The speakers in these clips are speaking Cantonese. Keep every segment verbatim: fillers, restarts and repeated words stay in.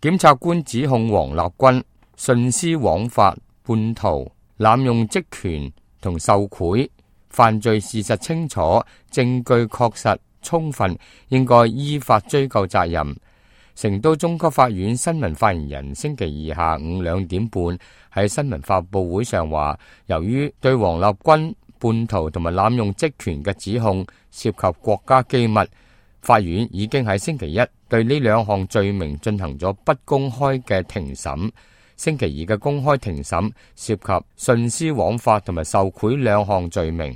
檢察官指控王立軍徇私枉法、叛逃、濫用職權同受賄，犯罪事實清楚，證據確實充分，應該依法追究責任。成都中級法院新聞發言人星期二下午兩點半喺新聞發佈會上話，由於對王立軍叛逃同埋濫用職權嘅指控涉及國家機密，法院已經喺星期一對呢兩項罪名進行咗不公開嘅庭審。星期二嘅公開庭審涉及徇私枉法同埋受賄兩項罪名。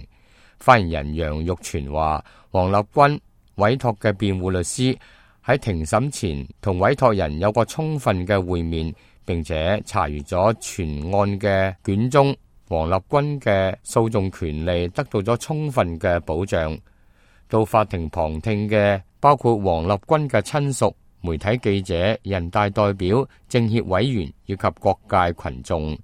發言人楊玉全話，王立軍委託嘅辯護律師喺庭審前同委託人有個充分嘅會面，並且查閱咗全案嘅卷宗，王立軍嘅訴訟權利得到咗充分嘅保障。到法庭旁聽嘅包括王立軍嘅親屬、媒體記者、人大代表、政協委員以及各界群眾。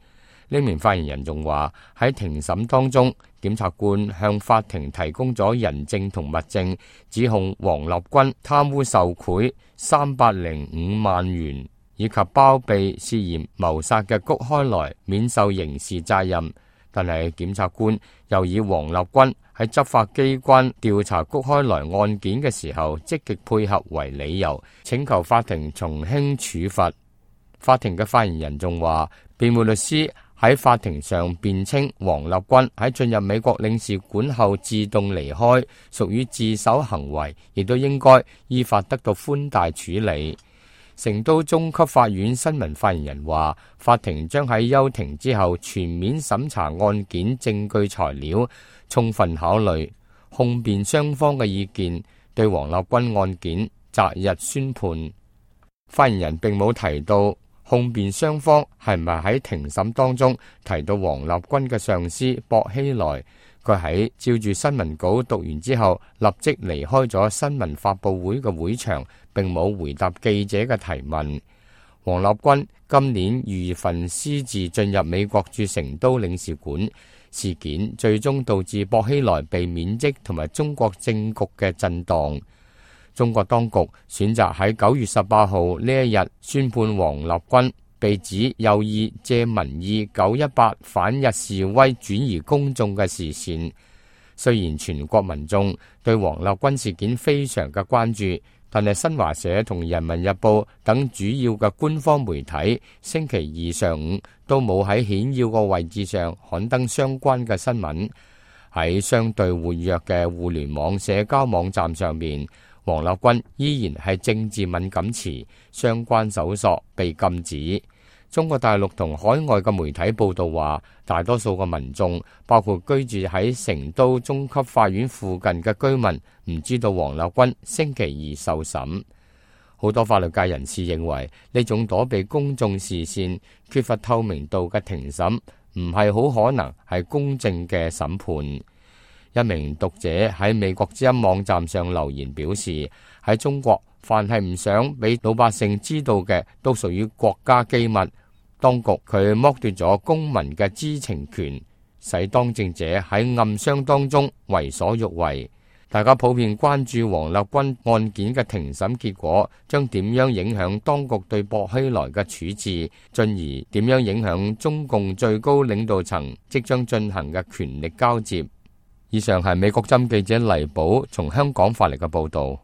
呢名發言人仲話，喺庭審當中，檢察官向法庭提供咗人證同物證，指控王立軍貪污受賄三百零五萬元，以及包庇涉嫌謀殺嘅谷開來免受刑事責任。但係檢察官又以王立軍喺執法機關調查谷開來案件嘅時候積極配合為理由，請求法庭從輕處罰。法庭嘅發言人仲話，辯護律師喺法庭上辯稱王立軍喺進入美國領事館後自動離開，屬於自首行為，亦都應該依法得到寬大處理。成都中級法院新聞發言人話，法庭將喺休庭之後全面審查案件證據材料，充分考慮控辯雙方嘅意見，對王立軍案件擇日宣判。發言人並冇提到控辯雙方係咪喺庭審當中提到王立軍嘅上司薄熙來。佢喺照住新聞稿讀完之後，立即離開咗新聞發佈會嘅會場，並冇回答記者嘅提問。王立軍今年二月份私自進入美國駐成都領事館，事件最終導致薄熙來被免職同埋中國政局嘅震盪。中國當局選擇喺九月十八號呢一日宣判王立軍被指有意借民意九一八反日示威轉移公眾嘅視線。雖然全國民眾對王立軍事件非常嘅關注，但係新華社同人民日報等主要嘅官方媒體星期二上午都冇喺顯要個位置上刊登相關嘅新聞。喺相對活躍嘅互聯網社交網站上面，王立軍依然係政治敏感詞，相關搜索被禁止。中國大陸同海外嘅媒體報道話，大多數嘅民眾，包括居住喺成都中級法院附近嘅居民，唔知道王立軍星期二受審。好多法律界人士認為，呢種躲避公眾視線、缺乏透明度嘅庭審，唔係好可能係公正嘅審判。一名讀者喺美國之音網站上留言表示，喺中國，凡係唔想俾老百姓知道嘅，都屬於國家機密。當局佢剝奪咗公民嘅知情權，使當政者喺暗箱當中為所欲為。大家普遍關注王立軍案件嘅庭審結果將點樣影響當局對薄熙來嘅處置，進而點樣影響中共最高領導層即將進行嘅權力交接。以上係美國針記者黎寶從香港發嚟嘅報道。